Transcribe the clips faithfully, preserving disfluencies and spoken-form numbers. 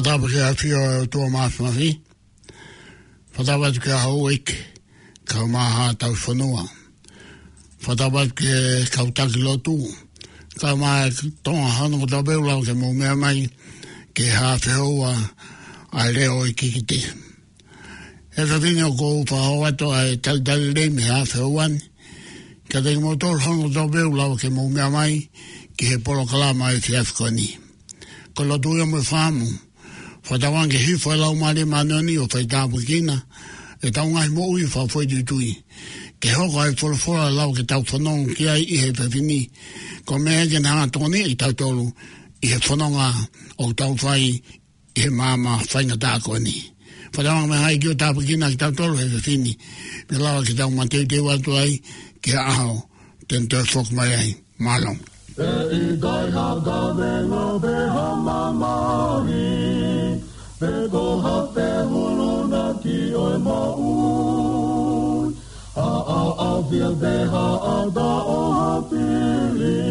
Fakatapu ki he ʻafio ʻa e ʻOtua Māfimafi. Fakatapu atu ki he houʻeiki, kae ʻumaʻā haʻa tauhi fonua. Fakatapu atu ki he kau taki lotu, kae ʻumaʻā e Tonga hono kotoa pē ʻoku lava ke mou meʻa mai ki he haʻa fehoua ʻa e leʻo ʻo e kikite. He efiafi ni ʻoku ou fakahoko atu ʻa e talitali lelei mei he haʻa fehoua ni kiate kimoutolu hono kotoa pē ʻoku lava ke mou meʻa mai ki he polokalama ʻo e efiafi ko eni. Ko e lotu ia mo e fakaʻamu, fakatauange ke hifo e Laumālie Māʻoniʻoni ʻo faitāpuekina ʻetau ngaahi moʻui fakafoʻituitui, ke hoko ai e folofola ʻe lava ke tau fanongo ki ai ʻi he efiafi ni, ko e meʻa ia ke ne hanga ʻo tokoniʻi kitautolu ʻi he fononga ʻoku tau fai ʻi he maama faingataʻa ko eni. Fakatauange ʻe ʻikai ke tāpuekina kitautolu he efiafi ni, pea lava ke tau mateuteu atu ai ki he ʻaho te ne toe foki mai ai. Mālō. ʻE ʻikai ha kavenga pe ha mamahi, pe ko ha fehulunaki ʻo e moʻui, ha ʻaʻafi pe ha ʻata ʻo ha fili,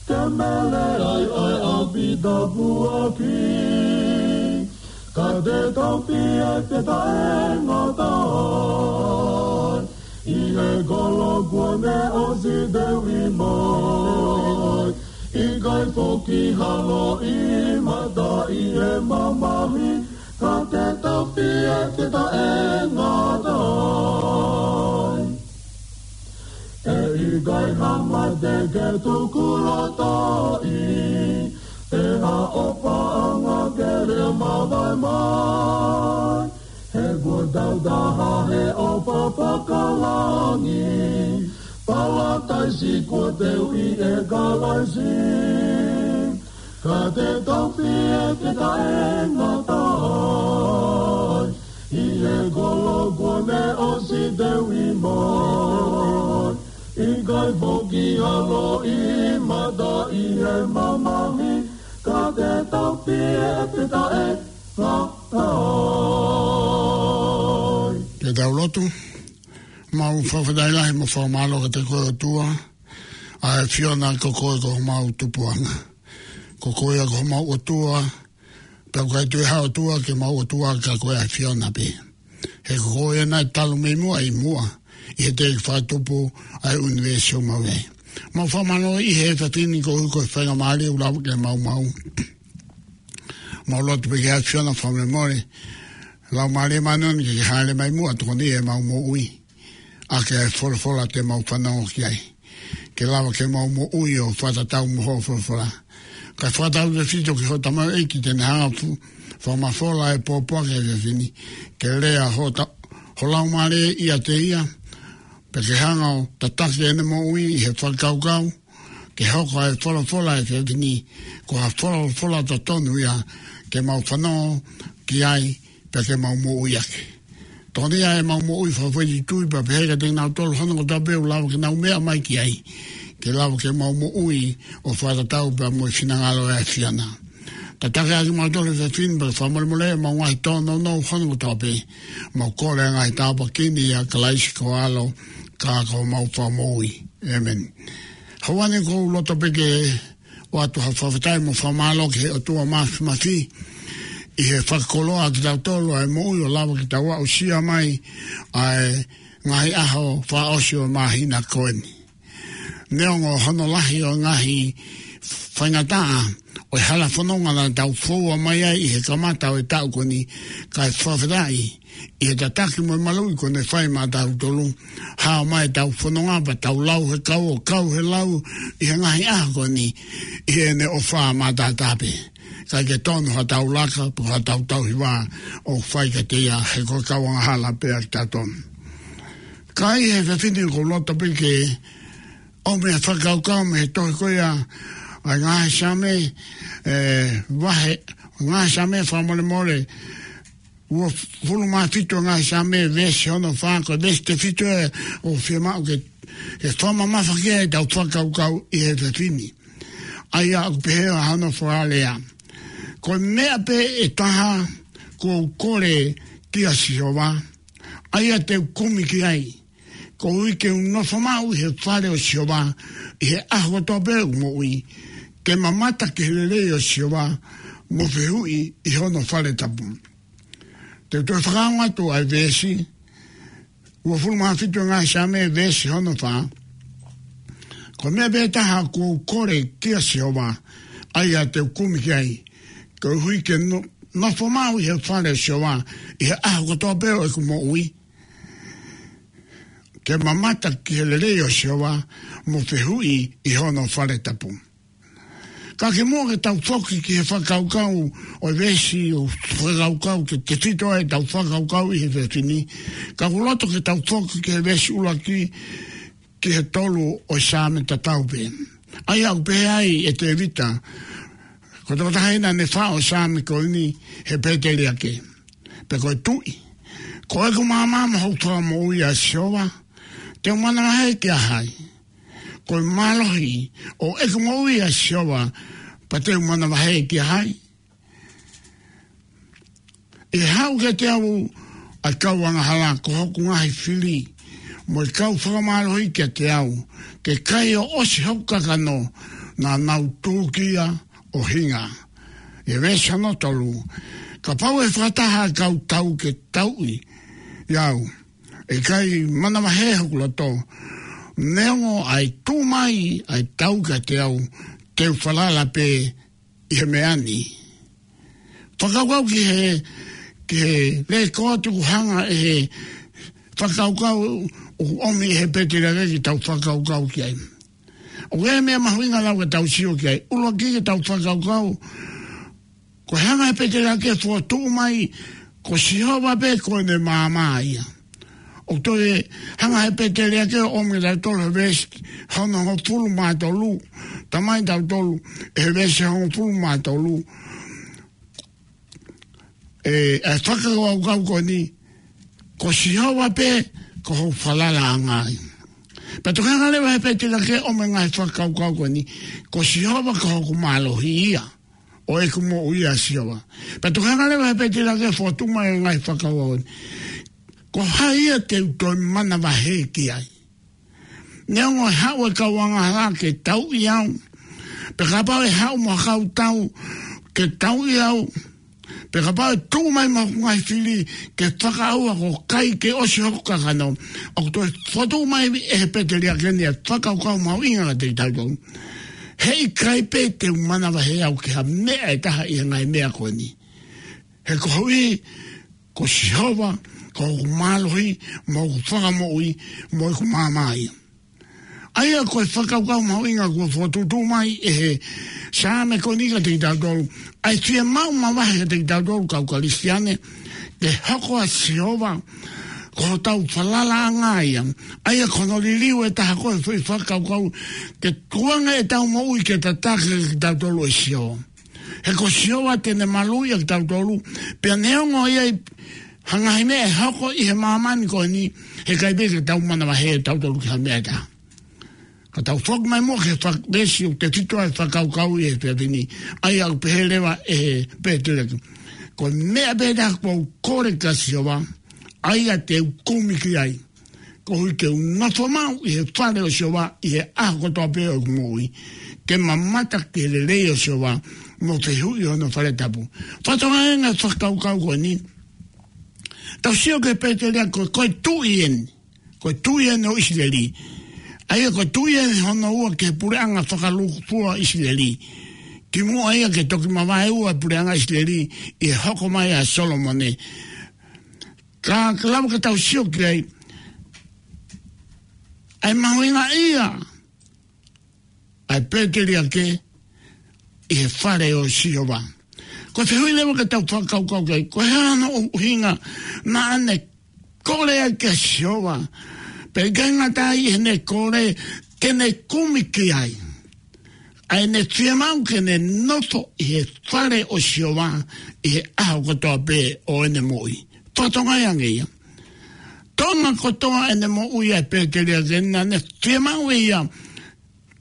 ke mele ai ʻa e ʻapi tapuaki. Ka te tau fie fetaʻengata ai ʻi he kolo kuo ne ʻosi teuʻi mai, ʻikai foki ha loʻimata ʻi he mamahi, ka te tau fie fetaʻengata ai. ʻE ʻikai ha mate ke tukulotoʻi, pe ha ʻofaʻanga ke lea mavae mai. He kuo tau taha he ʻofa fakalangi, palataisi kuo teuʻi ʻe Kalaisi. Ka te tau fie fetaʻengata ai ʻi he kolo kuo ne ʻosi teuʻi mai, ʻikai foki ha loʻimata ʻi he mamahi, ka te tau fie fetaʻengata ai. Ke tau lotu. Mau fakafetaʻi lahi mo fakamālō kiate koe ʻOtua, ʻa e ʻAfiona, ko koe ko homau tupuʻanga. Ko koe ia ko homau ʻOtua, pea ʻoku ʻikai toe ʻi ai ha ʻOtua ke mau ʻOtua ka ko e ʻAfiona pē. He ko koe ia naʻe talu mei muʻa ʻi muʻa, ʻi he teʻeki fakatupu ʻa e ʻunivēsi ʻoku mau ʻi ai. Mau fakamālō ʻi he efiafi ni koeʻuhi ko e faingamālie ʻoku lava ke maʻu. Mau lotu pē ki he ʻAfiona fakamolemole, Laumālie Māʻoniʻoni ke ke hāʻele mai muʻa ʻo tokoniʻi ʻemau moʻui ʻaki ʻa e folofola te mau fanongo ki ai, ke lava ke mau moʻui ʻo fakatatau mo hoʻo folofola. Kae fakatautefito ki hoʻo tamaioʻeiki te ne hanga ʻo fu-, fakamafola e pōpoaki he efiafi ni, ke lea ho ta-, ho Laumālie ʻiate ia, pea ke hanga ʻo tataki ʻene moʻui ʻi he fakakaukau, ke hoko ʻa e folofola he efiafi ni ko ha folofola totonu ia ke mau fanongo ki ai, pea ke mau moʻui ʻaki. Tokoniʻi ʻemau moʻui fakafoʻituitui, pea pehē kiate kinautolu hono kotoa pē ʻoku lava ke nau meʻa mai ki ai, ke lava ke mau moʻui ʻo fakatatau pea mo e finangalo ʻo e ʻAfiona. Tataki ʻaki kimautolu he efiafi ni, pea fakamolemoleʻi ʻemau ngaahi tōnounou hono kotoa pē. Mau kole ʻa e ngaahi tāpuaki ni ʻia Kalaisi ko ho ʻAlo, ka ko homau Fakamoʻui. ʻĒmeni. Houa ni ʻoku ou loto pē ke ʻoatu ha fakafetaʻi mo fakamālō ki he ʻOtua Māfimafi ʻi he fakakoloa kiate kitautolu ʻa e moʻui ʻo lava ke tau aʻusia mai ʻa e ngaahi ʻaho fakaʻosi ʻo e māhina ko eni. Neongo hono lahi ʻo e ngaahi faingataʻa ʻo e hala fononga naʻa tau foua mai ai ʻi he kamata ʻo e taʻu ko eni, kae fakafetaʻi ʻi he tataki mo e maluʻi kuo ne fai maʻatautolu, hao mai ʻetau fononga pea tau lau he kau ʻo kau he lau ʻi he ngaahi ʻaho ko eni, ʻi heʻene ʻofa maʻatautolu pē. ʻIkai ke tonu haʻatau laka, pe ko haʻatau tauhi vā ʻoku fai kiate ia, he ko e kau angahala pē ʻa kitautolu. Ka ʻi he efiafi ni ʻoku ou loto pē ke ʻomai e fakakaukau mei he tohi ko ia ʻa e ngaahi Saame, ʻe, vahe, ngaahi Saame fakamolemole, uofulu mā fitu, ngaahi Saame veesi hono fā, ko e veesi tefito ʻoku fiemaʻu ke, ke fakamamafaʻi ai ʻetau fakakaukau ʻi he efiafi ni. ʻA ia ʻoku pehē ʻa hono fakalea: Ko e meʻa pē ʻe taha ʻoku ou kole kia Sihova, ʻA ia te u kumi ki ai, koeʻuhi ke u nofo maʻu ʻi he fale ʻo Sihova ʻi he ʻaho kotoa pē ʻo ʻeku moʻui, ke mamata ki he lelei ʻo Sihova, mo fehuʻi ʻi hono fale tapu. Te u toe fakaongo atu ʻa e veesi uofulu mā fitu ʻo e Ngaahi Saame, veesi hono fā. Ko e meʻa pē taha ʻoku ou kole kia Sihova, ʻa ia te u kumi ki ai, koeʻuhi ke no-, nofo maʻu ʻi he fale ʻo Sihova ʻi he ʻaho kotoa pē ʻo ʻeku moʻui, ke mamata ki he lelei ʻo Sihova, mo fehuʻi ʻi hono fale tapu. Ka kimuʻa ke tau foki ki he fakakaukau ʻo e veesi ʻoku fakakaukau ke tefito ai ʻetau fakakaukau ʻi he efiafi ni, ka ʻoku ou loto ke tau foki ki he veesi ʻuluaki ki he tolu ʻo e Saame tatau pē. ʻA ia ʻoku pehē ai ʻe Tēvita, ko e tokotaha ia naʻa ne faʻu ʻa e Saame ko eni, he pēteliake, pe ko e tuʻi: Ko ʻeku maama mo hoku fakamoʻui, ʻa Sihova, te u manavahē kia hai? Ko e mālohi ʻo ʻeku moʻui, ʻa Sihova, pea te u manavahē kia hai? ʻI he haʻu kiate au ʻa e kau angahala, ko hoku ngaahi fili mo e kau fakamālohi kiate au, ke kai ʻo ʻosi hoku kakano, naʻa nau tūkia ʻo hinga. ʻI he veesi hono tolu: Kapau ʻe fakataha ʻa e kau tau ke tauʻi au, ʻe ʻikai manavahē hoku loto. Neongo ʻa e tuʻu mai ʻa e tau kiate au, te u falala pē ʻi he meʻa ni. Fakakaukau ki he, ki he lēkooti ʻoku hanga ʻe he fakakaukau ʻoku ʻomi ʻe he pēteliake ke tau fakakaukau ki ai. ʻOku ʻi ai e meʻa mahuʻinga ʻoku tau sio ki ai. ʻUluaki, ke tau fakakaukau, ko e hanga ʻe he pēteliake ʻo fokotuʻu mai ko Sihova pē ko ʻene maama ia. ʻOku toe hanga ʻe he pēteliake ʻo ʻomi kiate kitautolu he veesi hono hongofulu mā tolu, talamai kiate kitautolu ʻe he veesi hongofulu mā tolu, ʻe, ʻa e fakakaukau ko eni: Ko Sihova pē ko hoku falalaʻanga ia. Pea toki hanga leva ʻe he pēteliake ʻo ʻomi e ngaahi fakakaukau ko eni: Ko Sihova ko hoku mālohi ia, ʻo ʻeku moʻui, ʻa Sihova. Pea toki hanga leva ʻe he pēteliake ʻo fokotuʻu mai e ngaahi fakakaukau ko eni: Ko hai ia te u toe manavahē ki ai? Neongo ʻe haʻu e kau angahala ke tauʻi au, pe kapau ʻe haʻu mo ha kau tau ke tauʻi au, pe kapau ʻe tuʻu mai mo hoku ngaahi fili ke fakaʻauha, ko e kai ke ʻosi hoku kakano, ʻoku toe fokotuʻu mai ʻe he pēteliake ni e fakakaukau mahuʻinga kiate kitautolu: He ʻikai pē te u manavahē au ki ha meʻa ʻe taha ʻi he ngaahi meʻa ko eni. He koeʻuhi ko Sihova ko hoku mālohi mo hoku fakamoʻui mo ʻeku maama ia. ʻA ia ko e fakakaukau mahuʻinga kuo fokotuʻutuʻu mai ʻe he Saame ko eni kiate kitautolu, ʻa e fiemaʻu mavahe kiate kitautolu kau Kalisitiane, ke hoko ʻa Sihova ko hotau falalaʻanga ia. ʻA ia ko hono liliu ʻe taha ko e foʻi fakakaukau ke tukuange ʻetau moʻui ke tataki kitautolu ʻe Sihova. He ko Sihova te ne maluʻi ʻa kitautolu, pea neongo ʻe ʻi ai ha ngaahi meʻa ʻe hoko ʻi he māmani ko eni, he ʻikai pē ke tau manavahē kitautolu ki ha meʻa ʻe taha. Ka tau foki mai muʻa ki he fak-, veesi ʻoku tefito ai e fakakaukau ʻi he efiafi ni, ʻa ia ʻoku pehē leva ʻe he pēteliake: Ko e meʻa pē taha ʻoku ou kole kia Sihova, ʻa ia te u kumi ki ai, koeʻuhi ke u nofo maʻu ʻi he fale ʻo Sihova ʻi he ʻaho kotoa pē ʻo ʻeku moʻui, ke mamata ki he lelei ʻo Sihova, mo fehuʻi ʻi hono fale tapu. Fakatokangaʻi ange e fakakaukau ko eni. Tau sio ki he pēteliake, ko e, ko e tuʻi eni. Ko e tuʻi eni ʻo ʻIsileli. ʻA ia ko e tuʻi eni hono ua ki he puleʻanga fakalūkufua ʻo ʻIsileli, kimuʻa ia ke toki mavaeua e puleʻanga ʻIsileli ʻi he hoko mai ʻa Solomone. Ka, ka lava ke tau sio ki ai, ʻa e mahuʻingaʻia ʻa e pēteliake ʻi he fale ʻo Sihova. Ko e fehuʻi leva ke tau fakakaukau ki ai, ko e hā hono ʻuhinga naʻa ne kole ai kia Sihova? Pea ʻikai ngata ai, ʻi heʻene kole ke ne kumi ki ai, ʻa ʻene fiemaʻu ke ne nofo ʻi he fale ʻo Sihova ʻi he ʻaho kotoa pē ʻo ʻene moʻui. Fakatokangaʻi ange ia. Tonga kotoa ʻene moʻui ʻa e pēteliake, naʻa ne fiemaʻu ʻe ia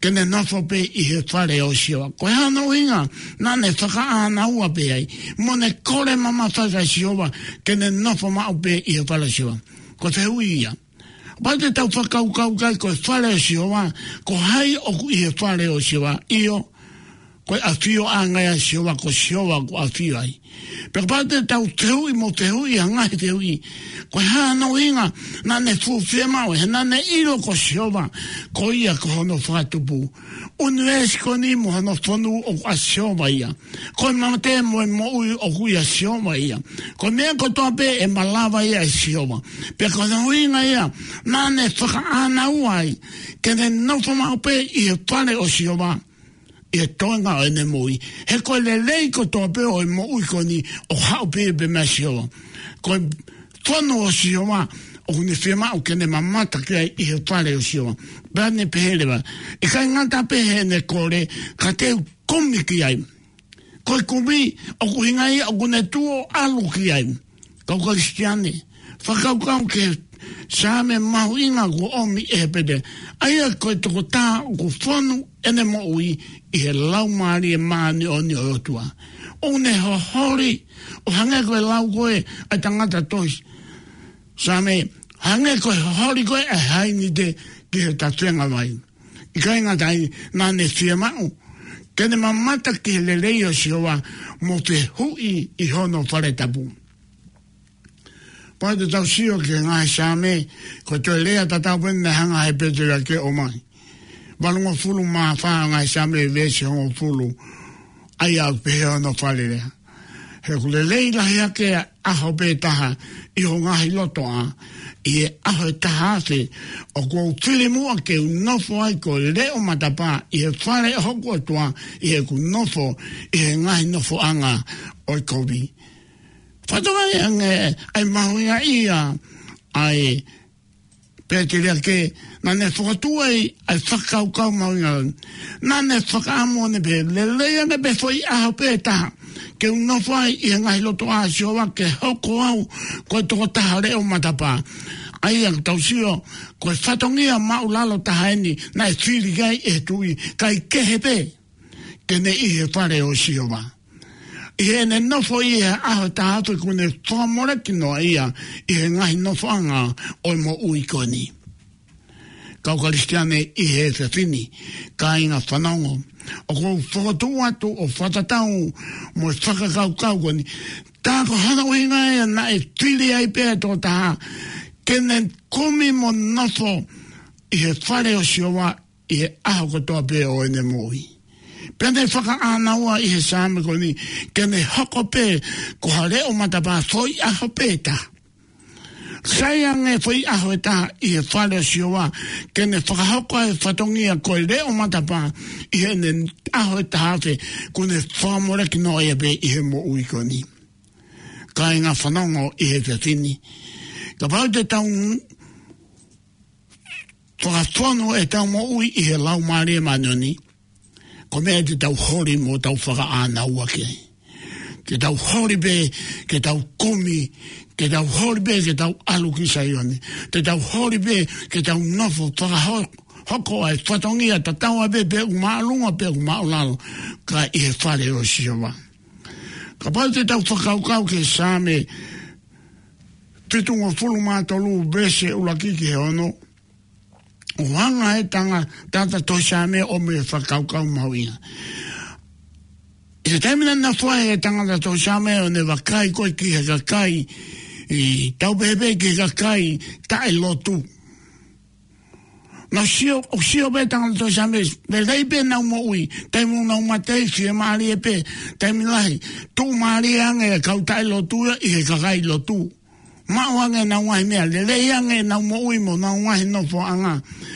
ke ne nofo pē ʻi he fale ʻo Sihova. Ko e hā hono ʻuhinga naʻa ne fakaʻānaua pē ai, mo ne kole mamafa kia Sihova ke ne nofo maʻu pē ʻi he fale ʻo Sihova? Ko e fehuʻi ia. Kapau te tau fakakaukau ki ai, ko e fale ʻo Sihova, ko hai ʻoku ʻi he fale ʻo Sihova? ʻIo, ko e ʻafioʻanga ia ʻo Sihova, ko Sihova ʻoku ʻafio ai. Pea kapau te tau fehuʻi mo fehuʻi ʻa e ngaahi fehuʻi, ko e hā hono ʻuhinga naʻa ne fuʻu fiemaʻu, he naʻa ne ʻilo ko Sihova, ko ia ko hono fakatupu. ʻUnivēsi ko eni mo hono fonu ʻoku ʻa Sihova ia. Ko e mate mo e moʻui ʻoku ʻia Sihova ia. Ko e meʻa kotoa pē ʻe malava ia ʻe Sihova. Pea ko hono ʻuhinga ia naʻa ne fakaʻānaua ai ke ne nofo maʻu pē ʻi he fale ʻo Sihova ʻi he toenga ʻo ʻene moʻui. He ko e lelei kotoa pē ʻo e moʻui ko eni ʻoku haʻu pē ia pē meia Sihova. Ko e fonu ʻo Sihova ʻoku ne fiemaʻu ke ne mamata ki ai ʻi he fale ʻo Sihova. Pea ne pehē leva, ʻikai ngata pē heʻene kole, ka te u kumi ki ai. Ko e kumi ʻoku ʻuhinga ia ʻoku ne tuʻu ʻo ʻalu ki ai. Kau Kalisitiane, fakakaukau ki he Saame mahuʻinga kuo ʻomi ʻe he pete. ʻA ia ko e tokotaha ʻoku fonu ʻene moʻui ʻi he Laumālie Māʻoniʻoni ʻo e ʻOtua. ʻOku ne hoholi, ʻo hangē ko e lau ko ē ʻa e tangata tohi Saame, hangē ko e hoholi ko ē ʻa e hainite ki he tafenga vai. ʻIkai ngata ai, naʻa ne fiemaʻu ke ne mamata ki he lelei ʻo Sihova mo fehuʻi ʻi hono fale tapu. Pea te tau sio ki he ngaahi Saame, ko e toe lea tatau pē eni naʻe hanga ʻe he pete ia ke ʻomai. Valungofulu mā fā ʻo e ngaahi Saame, veesi hongofulu, ʻa ia ʻoku pehē hono fale lea. He ʻoku lelei lahi hake ʻa e ʻaho pē taha ʻi ho ngaahi lotoʻā, ʻi he ʻaho ʻe taha afe ʻoku ou fili muʻa ke u nofo ai ko e leʻo matapā ʻi he fale ʻo hoku ʻOtua, ʻi heʻeku nofo ʻi he ngaahi nofoʻanga ʻo e kovi. Fakatokangaʻi ange ʻa e mahuʻinga ia ʻa e pete ia ke, naʻa ne fokotuʻu ai ʻa e fakakaukau mahuʻinga. Naʻa ne fakaʻamu ʻo ne pehē, lelei ange pē foʻi ʻaho pē taha ke u nofo ai ʻi he ngaahi lotoʻā ʻo Sihova, ke hoko au ko e tokotaha leʻo matapā. ʻA ia ʻoku tau sio, ko e fatongia māʻulalo taha eni naʻe fili ai ʻe he tuʻi, kae kehe pē ke ne ʻi he fale ʻo Sihova. ʻI heʻene nofo ʻi he ʻaho ʻe taha afe, kuo ne fakamoleki noa ia ʻi he ngaahi nofoʻanga ʻo e moʻui ko eni. Kau Kalisitiane ʻi he efiafi ni, kāinga fanongo, ʻoku ou fokotuʻu atu ʻo fakatatau mo e fakakaukau ko eni. Tā ko hono ʻuhinga ia naʻe fili ai pē ʻa e tokotaha ke ne kumi mo nofo ʻi he fale ʻo Sihova ʻi he ʻaho kotoa pē ʻo ʻene moʻui. Pea ne fakaʻānaua ʻi he Saame ko eni ke ne hoko pē ko ha leʻo matapā foʻi ʻaho pē taha. Sai ange foʻi ʻaho ʻe taha ʻi he fale ʻo Sihova ke ne fakahoko ʻa e fatongia ko e leʻo matapā ʻi heʻene ʻaho ʻe taha afe, kuo ne fakamoleki noa ia pē ʻi he moʻui ko eni. Kāinga fanongo ʻi he efiafi ni, kapau te tau fakafonu ʻetau moʻui ʻi he Laumālie Māʻoniʻoni, ko e meʻa te tau holi mo tau fakaʻānaua ki ai. Te tau holi pē ke tau kumi, te tau holi pē ke tau ʻalu ki Saione, te tau holi pē ke tau nofo fakahoko ʻa e fatongia tatau ai pē pe ʻoku māʻolunga pe ʻoku māʻulalo, ka ʻi he fale ʻo Sihova. Kapau te tau fakakaukau ki he Saame fitungofulu mā tolu, veesi ʻuluaki ki he ono, ʻoku hanga ʻe he tangata tohi Saame ʻo ʻomai e fakakaukau mahuʻinga. ʻI he taimi naʻe nofo ai e tangata tohi Saame ʻo ne vakai ko ē ki he kakai, ʻi tau pehē pē ki he kakai taʻelotu. Naʻe sio, ʻoku sio pē tangata tohi Saame, lelei pē ʻenau moʻui, taimi ʻoku nau mate ai fiemālie pē, taimi lahi, tuʻumālie ange e kau taʻelotu ia ʻi he kakai lotu. Maʻu ange ʻenau ngaahi meʻa, lelei ange ʻenau moʻui mo ʻenau ngaahi nofoʻanga.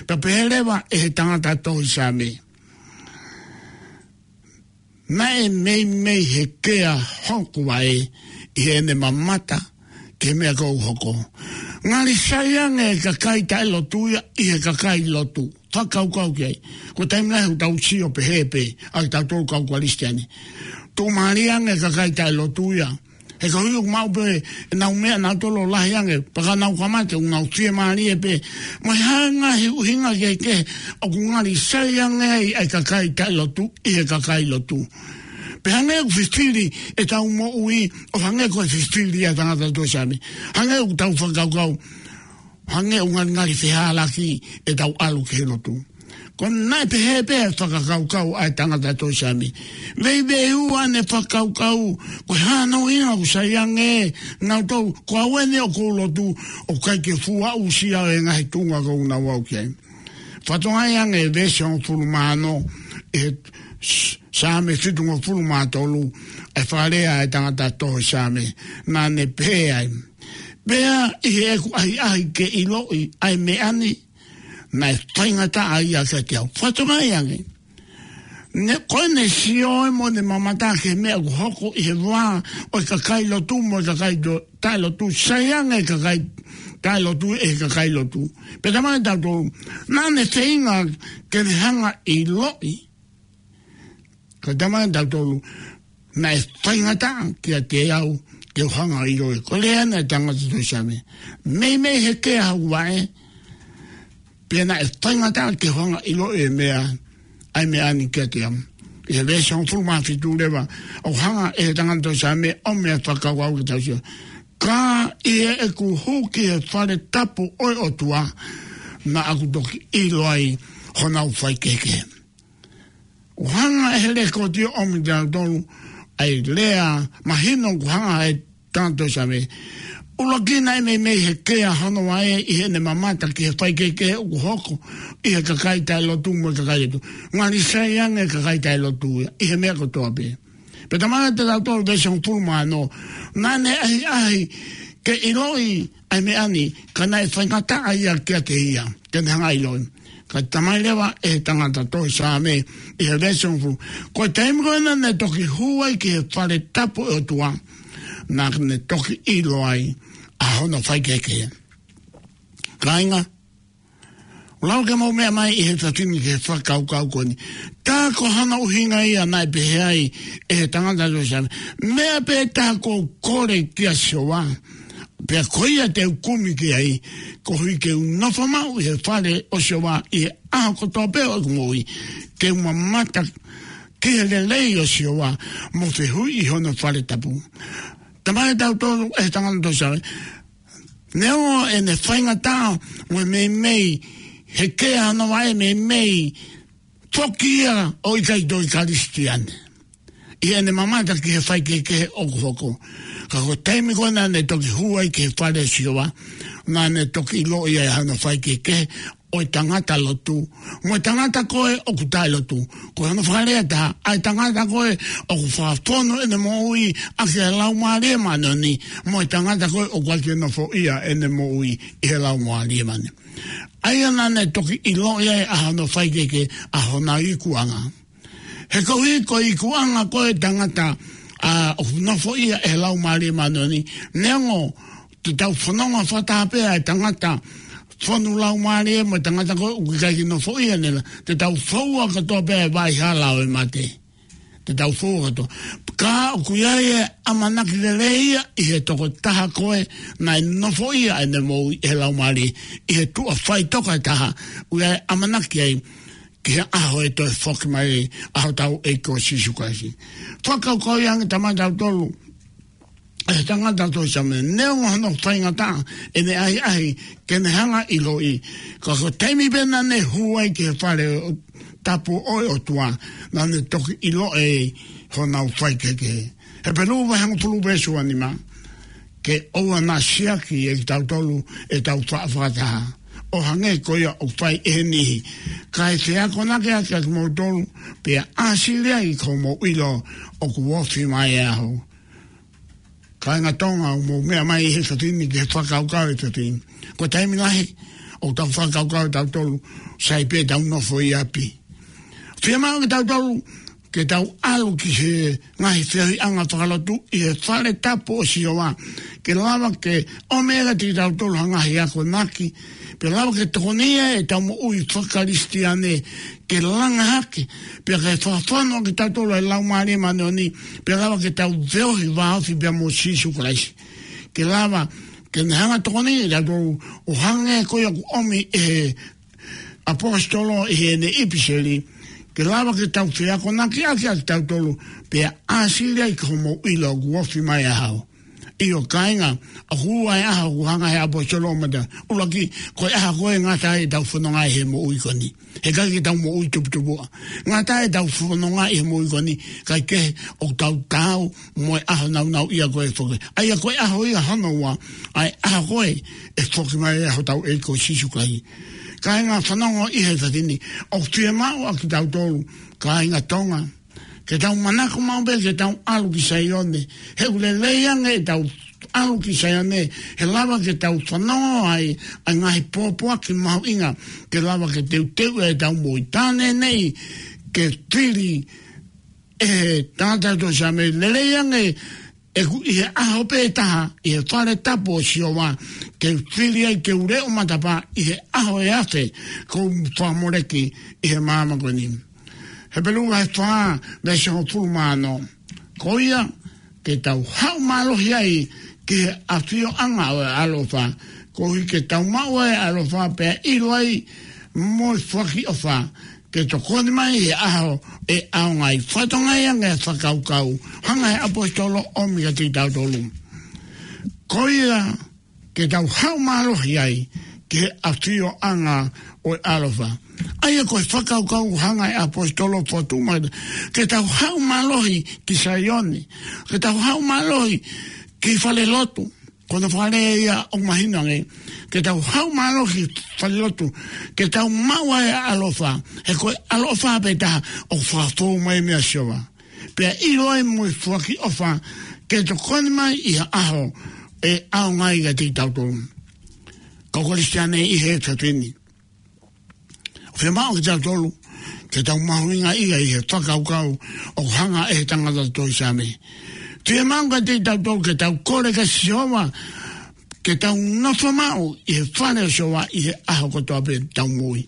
Pea pehē leva ʻe he tangata tohi Saame, naʻe meimei hekea hoku vaʻe ʻi heʻene mamata ki he meʻa kuo hoko. Ngali sai ange e kakai taʻelotu ia ʻi he kakai lotu. Fakakaukau ki ai. Ko e taimi lahi ʻoku tau sio pehē pē ʻa kitautolu kau Kalisitiane. Tuʻumālie ange e kakai taʻelotu ia. He koeʻuhi ʻoku maʻu pē ʻenau meʻa nautolu ʻo lahi ange, pea ka nau ka mate ʻoku nau fiemālie pē. Mo e hā e ngaahi ʻuhinga kehekehe ʻoku ngali sai ange ai ʻa e kakai taʻelotu ʻi he kakai lotu. Pea hangē ʻoku fifili ʻetau moʻui ʻo hangē ko e fifili ʻa e tangata tohi Saame. Hangē ʻoku tau fakakaukau, hangē ʻoku ngalingali fehālaaki ʻetau ʻalu ki he lotu. Ko e naʻe pehē pē ʻa e fakakaukau ʻa e tangata tohi Saame. Veiveiua ʻene fakakaukau, ko e hā hono ʻuhinga ʻoku sai ange nautolu, ko au eni ʻoku ou lotu, ʻoku ʻikai ke fuʻu aʻusia ʻa e ngaahi tuʻunga ʻoku nau aʻu ki ai. Fakatokangaʻi ange veesi hongofulu mā ono, ʻi he S-, Saame fitungofulu mā tolu, ʻa e fakalea ʻa e tangata tohi Saame, naʻa ne pehē ai. Pea ʻi heʻeku ʻahiʻahi ke ʻiloʻi ʻa e meʻa ni, naʻe faingataʻa ia kiate au. Fakatokangaʻi ange. Ne, ko ʻene sio ē mo ʻene mamata ki he meʻa ʻoku hoko ʻi he vā ʻo e kakai lotu mo e kakai to-, taʻelotu, sai ange e kakai taʻelotu ʻe he kakai lotu. Pea talamai kiate kitautolu, naʻa ne feinga ke ne hanga ʻo ʻiloʻi. Ka talamai kiate kitautolu, naʻe faingataʻa kiate au ke u hanga ʻo ʻiloʻi. Ko e lea ena ʻa e tangata tohi Saame. Meimei he kea hoku vaʻe, pea naʻe faingataʻa ke u hanga ʻo ʻiloʻi e meʻa, ʻa e meʻa ni kiate au. ʻI he veesi hongofulu mā fitu leva, ʻoku hanga ʻe he tangata tohi Saame ʻo ʻomi e fakakaukau ke tau sio. Ka ʻi heʻeku hū ki he fale tapu ʻo e ʻOtua, naʻa ku toki ʻilo ai honau faikehekehe. ʻOku hanga ʻe he lekooti ʻo ʻomi kiate kitautolu ʻa e lea mahino ʻoku hanga ʻe he tangata tohi Saame. ʻUluaki, naʻe meimei he kea hono vaʻe ʻi heʻene mamata ki he faikehekehe ʻoku hoko ʻi he kakai taʻelotu mo e kakai lotu. Ngali sai ange e kakai taʻelotu ia ʻi he meʻa kotoa pē. Pea talamai kiate kitautolu veesi hongofulu mā ono, naʻa ne ʻahiʻahi ke ʻiloʻi ʻa e meʻa ni, ka naʻe faingataʻa ia kiate ia ke ne hanga ʻo ʻiloʻi. Ka talamai leva ʻe he tangata tohi Saame ʻi he veesi hongofulu, ko e taimi ko ē naʻa ne toki hū ai ki he fale tapu ʻo e ʻOtua, naʻa ne toki ʻilo ai ʻa hono faikehekehe. Kāinga, ʻoku lava ke mou meʻa mai ʻi he efiafi ni ki he fakakaukau ko eni. Tā ko hono ʻuhinga ia naʻe pehē ai ʻe he tangata tohi Saame. Meʻa pē taha ʻoku ou kole kia Sihova, pea ko ia te u kumi ki ai, koeʻuhi ke u nofo maʻu ʻi he fale ʻo Sihova ʻi he ʻaho kotoa pē ʻo ʻeku moʻui, ke u mamata ki he lelei ʻo Sihova, mo fehuʻi ʻi hono fale tapu. Talamai kiate kitautolu ʻe he tangata tohi Saame, neongo ʻene faingataʻa mo e meimei he kea hono vaʻe, meimei foki ia ʻo ʻikai toe Kalisitiane ʻi heʻene mamata ki he faikehekehe ʻoku hoko. Ka ko e taimi ko ē naʻa ne toki hū ai ki he fale ʻo Sihova, naʻa ne toki ʻiloʻi ai ʻa hono faikehekehe ʻo e tangata lotu mo e tangata ko ē ʻoku taʻelotu. Ko hono fakalea ʻe taha, ʻa e tangata ko ē ʻoku fakafonu ʻene moʻui ʻaki e Laumālie Māʻoniʻoni, mo e tangata ko ē ʻoku ʻikai ke nofoʻia ʻene moʻui ʻi he Laumālie Māʻoniʻoni. ʻA ia naʻa ne toki ʻiloʻi ai ʻa hono faikehekehe, ʻa hona ikuʻanga. He koeʻuhi ko e ikuʻanga ko ē ʻo e tangata, ʻa, ʻoku nofoʻia ʻe he Laumālie Māʻoniʻoni, neongo te tau fononga fakataha pē ʻa e tangata fonu Laumālie mo e tangata ko ē ʻoku ʻikai ke nofoʻia ʻene la-, te tau foua kātoa pē ʻa e vaʻa hala ʻo e mate. Te tau foua kātoa. Ka ʻoku ʻi ai e ʻamanaki lelei ia ʻi he tokotaha ko ē naʻe nofoʻia ʻene moʻui ʻe he Laumālie, ʻi he tuʻa faʻitoka ʻe taha, ʻoku ʻi ai e ʻamanaki ai ki he ʻaho ʻe toe foki mai ai ʻa hotau ʻEiki ko Sīsū Kalaisi. Fakakaukauʻi ange, talamai kiate kitautolu ʻe he tangata tohi Saame, neongo hono faingataʻa ʻene ʻahiʻahi ke ne hanga ʻo ʻiloʻi, ka ko e taimi pē naʻa ne hū ai ki he fale ʻo, tapu ʻo e ʻOtua, naʻa ne toki ʻiloʻi honau faikehekehe. Hepelū vahe hongofulu veesi ua nima, ke ʻoua naʻa siʻaki ʻe kitautolu ʻetau faʻa fakataha, ʻo hangē ko ia ʻoku fai ʻe he niʻihi. Kae fie akonaki ʻaki ʻa kimoutolu, pea ʻāsili ai ki hoʻomou ʻilo ʻoku ofi mai e ʻaho. Kāinga Tonga, ʻoku mou meʻa mai ʻi he efiafi ni ki he fakakaukau ʻo e efiafi ni. Ko e taimi lahi ʻoku tau fakakaukau ʻe tautolu, sai pē ʻetau nofo ʻi ʻapi. Fiemaʻu ke tautolu, ke tau ʻalu ki he ngaahi feohiʻanga fakalotu ʻi he fale tapu ʻo Sihova, ke lava ke ʻomi ʻe ia kiate kitautolu ha ngaahi akonaki, pea lava ke tokoniʻi ʻetau moʻui faka-Kalisitiane ke langa hake, pea ke fakafonu ʻaki kitautolu ʻe he Laumālie Māʻoniʻoni, pea lava ke tau feohi vāofi pea mo Sīsū Kalaisi. Ke lava ke ne hanga ʻo tokoniʻi kitautolu, ʻo hangē ko ia ʻoku ʻomi ʻe he ʻaposetolo ʻi heʻene ʻipiseli, ke lava ke tau fie akonaki ʻaki ʻa kitautolu, pea ʻāsili ai ki hoʻomou ʻilo ʻoku ofi mai e ʻaho. ʻIo kāinga, ʻoku ua e ʻaho ʻoku hanga he ʻaposetolo ʻo mata. ʻUluaki, ko e ʻaho ko ē ngata ai ʻetau fononga ʻi he moʻui ko eni. He ʻikai ke tau moʻui tuputupuʻa. Ngata ai ʻetau fononga ʻi he moʻui ko eni, kae kehe ʻoku tau taau mo e ʻaho nāunauʻia ko ē ʻe foki. ʻA ia ko e ʻaho ia hono ua, ʻa e ʻaho ko ē ʻe foki mai ai hotau ʻEiki ko Sīsū Kalaisi. Kāinga fanongo ʻi he efiafi ni, ʻoku fiemaʻu ʻa kitautolu, kāinga Tonga, ke tau manako maʻu pē ke tau ʻalu ki Saione. He ʻoku lelei ange ʻetau ʻalu ki Saione, he lava ke tau fanongo ai ʻa e ngaahi pōpoaki mahuʻinga, ke lava ke teuteu ʻetau moʻui. Tā neʻineʻi ke fili ʻe he tangata tohi Saame, lelei ange ʻeku ʻi he ʻaho pē ʻe taha ʻi he fale tapu ʻo Sihova, ke u fili ai ke u leʻo matapā ʻi he ʻaho ʻe afe, kuo u fakamoleki ʻi he māmani ko eni. Hepelū vahe fā, veesi hongofulu mā ono. Ko ia, ke tau haʻu mālohi ai ki he ʻafioʻanga ʻo e ʻaloʻofa, koeʻuhi ke tau maʻu ʻa e ʻaloʻofa pea ʻilo ai mo e foaki ʻofa, ke tokoni mai he ʻaho ʻe ʻaonga ai. Fakatokangaʻi ange e fakakaukau, hanga he ʻaposetolo ʻo ʻomi kiate kitautolu. Ko ia, ke tau haʻu mālohi ai ki he ʻafioʻanga ʻo e ʻaloʻofa. ʻA ia ko e fakakaukau hanga he ʻaposetolo ʻo fokotuʻu mai, ke tau haʻu mālohi ki Saione, ke tau haʻu mālohi ki falelotu. Ko hono fakalea ia ʻoku mahino ange, ke tau haʻu mālohi ki falelotu, ke tau maʻu ʻa e ʻaloʻofa, he ko e ʻaloʻofa pē taha ʻoku fakafou mai mei a Sihova. Pea ʻilo ai mo e foaki ʻofa, ke tokoni mai ʻi ha ʻaho ʻe ʻaonga ai kiate kitautolu. Kau Kalisitiane ʻi he efiafi ni, ʻoku fiemaʻu kiate kitautolu ke tau mahuʻingaʻia ʻi he fakakaukau ʻoku hanga ʻe he tangata tohi Saame. Fiemaʻu kiate kitautolu ke tau kole kia Sihova, ke tau nofo maʻu ʻi he fale ʻo Sihova ʻi he ʻaho kotoa pē ʻetau moʻui.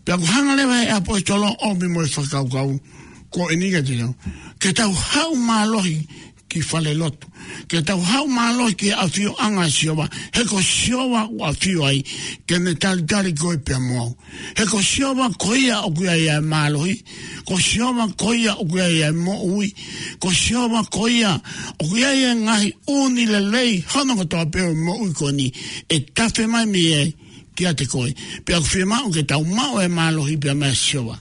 Pea ʻoku hanga leva he ʻaposetolo ʻo ʻomi mo e fakakaukau ko eni kiate kitautolu, ke tau haʻu mālohi ki falelotu, ke tau haʻu mālohi ki he ʻafioʻanga ʻo Sihova, he ko Sihova ʻoku ʻafio ai, ke ne talitali koe pea mo au. He ko Sihova ko ia ʻoku ʻi ai ʻa e mālohi, ko Sihova ko ia ʻoku ʻi ai ʻa e moʻui, ko Sihova ko ia ʻoku ʻi ai ʻa e ngaahi ʻū meʻa lelei hono kotoa pē ʻo e moʻui ko eni, ʻe tafe mai mei ai kiate koe. Pea ʻoku fiemaʻu ke tau maʻu e mālohi pea mei a Sihova.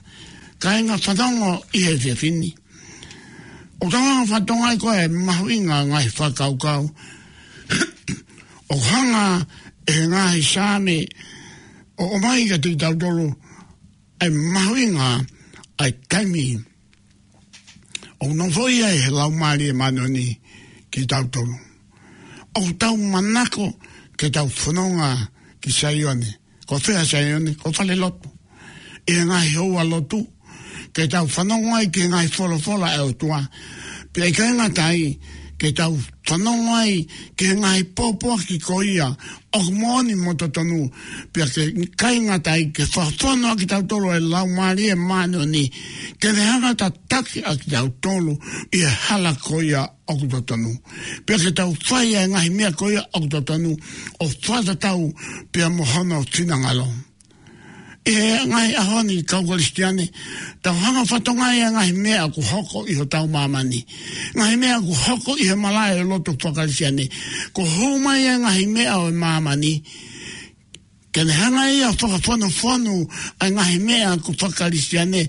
Kāinga fanongo ʻi he efiafi ni, ʻoku tau hanga ʻo fakatokangaʻi ko e mahuʻinga e ngaahi fakakaukau ʻoku hanga ʻe he ngaahi Saame ʻo ʻomai kiate kitautolu ʻa e mahuʻinga ʻa e taimi ʻoku nofoʻia ai he Laumālie Māʻoniʻoni kitautolu. ʻOku tau manako ke tau fononga ki Saione. Ko fē ʻa Saione? Ko falelotu. ʻI he ngaahi houa lotu, ke tau fanongo ai ki he ngaahi folofola ʻa e ʻOtua. Pea ʻikai ngata ai, ke tau fanongo ai ki he ngaahi pōpoaki ko ia ʻoku moʻoni mo totonu. Pea ke ʻikai ngata ai, ke fakafonu ʻa kitautolu ʻe he Laumālie Māʻoniʻoni, ke ne hanga ʻo tataki ʻa kitautolu ʻi he hala ko ia ʻoku totonu. Pea ke tau fai ʻa e ngaahi meʻa ko ia ʻoku totonu, ʻo fakatatau pea mo hono finangalo. ʻI he ngaahi ʻaho ni, kau Kalisitiane, tau hanga ʻo fakatokangaʻi ʻa e ngaahi meʻa ʻoku hoko ʻi hotau māmani. Ngaahi meʻa ʻoku hoko ʻi he malaʻe ʻo e lotu faka-Kalisitiane. Kuo hū mai ʻa e ngaahi meʻa ʻo e māmani, ke ne hanga ia ʻo fakafonufonu ʻa e ngaahi meʻa ʻoku faka-Kalisitiane,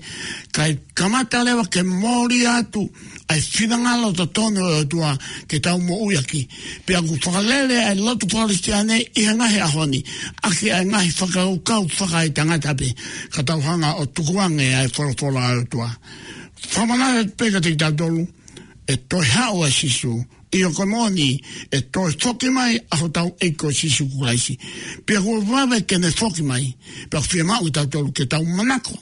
kae kamata leva ke mole atu ʻa e finangalo totonu ʻo e ʻOtua ke tau moʻui ʻaki. Pea ʻoku fakalele ʻa e lotu faka-Kalisitiane ʻi he ngaahi ʻaho ni ʻaki ʻa e ngaahi fakakaukau fakaetangata pē, ka tau hanga ʻo tukuange ʻa e folofola ʻa e ʻOtua. Fakamanatu pē kiate kitautolu, ʻe toe haʻu ʻa Sīsū. ʻIo, ko e moʻoni, ʻe toe foki mai ʻa hotau ʻEiki ko Sīsū Kalaisi. Pea kuo vave ke ne foki mai, pea ʻoku fiemaʻu kitautolu ke tau manako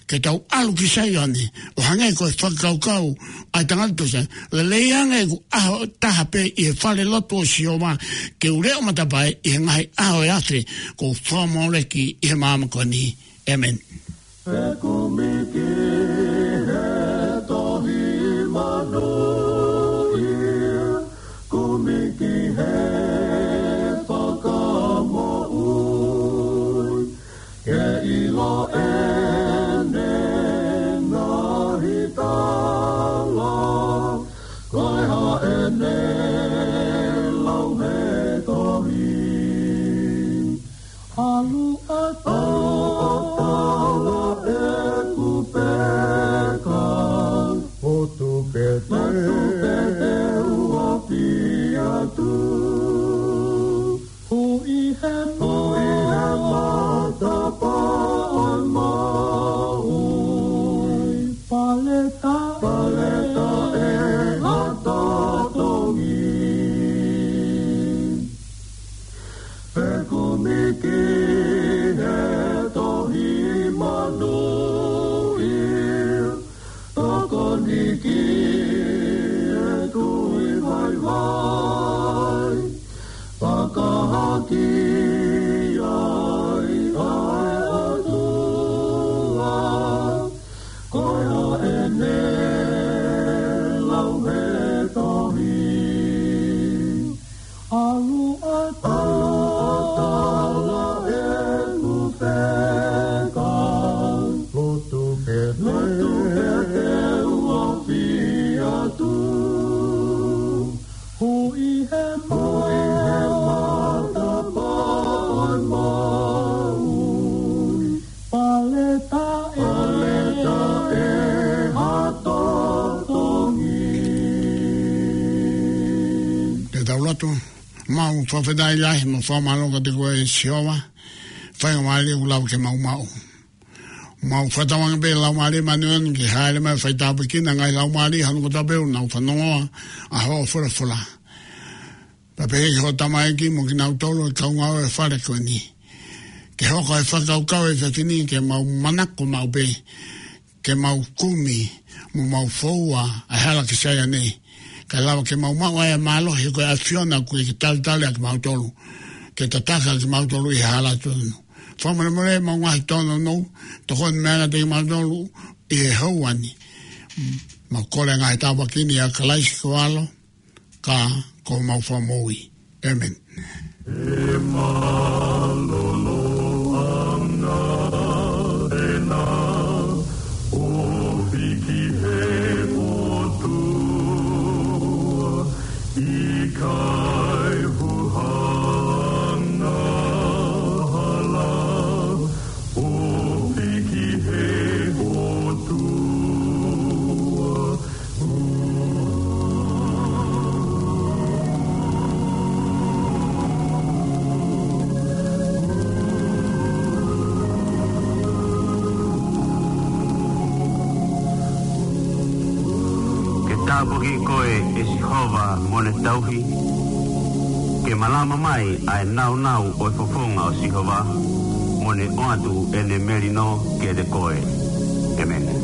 ke tau ʻalu ki Saione, ʻo hangē ko e fakakaukau ʻa e tangata tohi Saame, lelei ange ʻeku ʻaho ʻe taha pē ʻi he falelotu ʻo Sihova, ke u leʻo matapā ʻi he ngaahi ʻaho ʻe afe, kuo u fakamoleki ʻi he māmani ko eni. ʻĒmeni. He kumi ki he tohi manuʻia, kumi ki he fakamoʻui, ke ʻilo ʻene ngaahi tala, ko e hā ʻene ʻAlu ʻatā, ʻalu ʻatā ʻeku peka. Lotu pē te. Lotu pē te u ofi atu. Hui he, hui he matapā ʻo e maui. Paleta, paleta ʻe ha totongi. Fekumi ki he tohi manuʻia, tokoni ki he tui vaivai, fakahā ki ai ʻa e ʻOtua, ko ia ʻene lau he tohi. ʻAlu ʻatā, ʻalu ʻatā ʻeku peka. Lotu pē te. Lotu pē te u ofi atu. Hui he, hui he matapā ʻo e maui. Paleta ʻe, paleta ʻe ha totongi. Ke tau lotu. Mau fakafetaʻi lahi mo fakamālō kiate koe Sihova. Faingamālie kuo lava ke mau maʻu. Mau fakatauange pē Laumālie Māʻoniʻoni ke hāʻele mai faitāpuekina ngaahi laumālie hono kotoa pē ʻoku nau fanongoa ʻa hoʻo folofola. Pea pehē ki hoʻo tamaiki mo kinautolu ʻoku kau ngāue he fale ko eni. Ke hoko e fakakaukau ʻa e efiafi ni ke mau manako maʻu pē, ke mau kumi, mo mau foua ʻa e hala ki Saione. Kae lava ke mau maʻu ʻa e mālohi ko e ʻAfiona ʻoku ke talitali ʻa kimautolu. Ke tataki ʻa kimautolu ʻi he hala tonu. Fakamolemole mau ngaahi tōnounou, tokoni mai kiate kimautolu ʻi he houa ni. Mau kole ngaahi tāpuaki ni ʻia Kalaisi ko ho ʻAlo, ka ko homau Fakamoʻui. ʻĒmeni. ʻE mālōlō ange ʻena ofi ki he ʻOtua, ʻikai huhanga hala, ofi ki he ʻOtua. Ke tāpuakiʻi koe ʻe Sihova mo ʻene tauhi. Ke malama mai ʻa e nāunau ʻo e fofonga ʻo Sihova, mo ne ʻoatu ʻene melino kiate koe. ʻĒmeni.